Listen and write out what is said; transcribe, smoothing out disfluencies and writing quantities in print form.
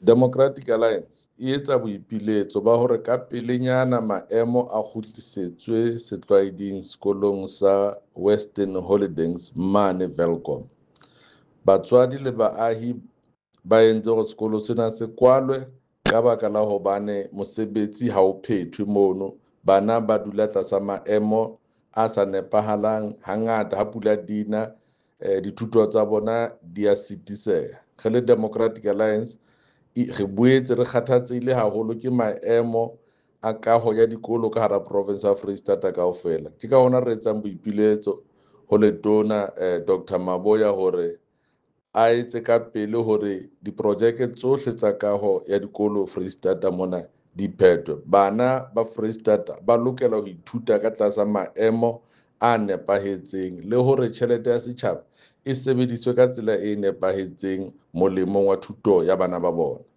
Democratic Alliance e etsa boipiletso ba hore ka pelenyana maemo a kgutlisetswe setlwaeding sekolong sa Western Holdings mane Welkom. Batswadi le baahi ba entse hore sekolo sena se kwalwe ka baka la hobane mosebetsi ha o phethwe mono. Bana ba dula tlasa maemo a sa nepahalang hangata ha pula dina, dithuto tsa bona di a sitiseha. Re le Democratic Alliance re boetse re kgathatsehile haholo ke maemo a kaho ya dikolo ka hara province ya Freistata kaofela. Ke ka hona re etsang boipiletso ho letona Dr Maboya hore a etse ka pele hore diprojeke tsohle tsa kaho ya dikolo Freistata mona di phethwe. Bana ba Freistata ba lokela ho ithuta ka tlasa maemo a nepahetseng le hore tjhelete ya setjhaba e sebediswe ka tsela e nepahetseng molemong wa thuto ya bana ba bona.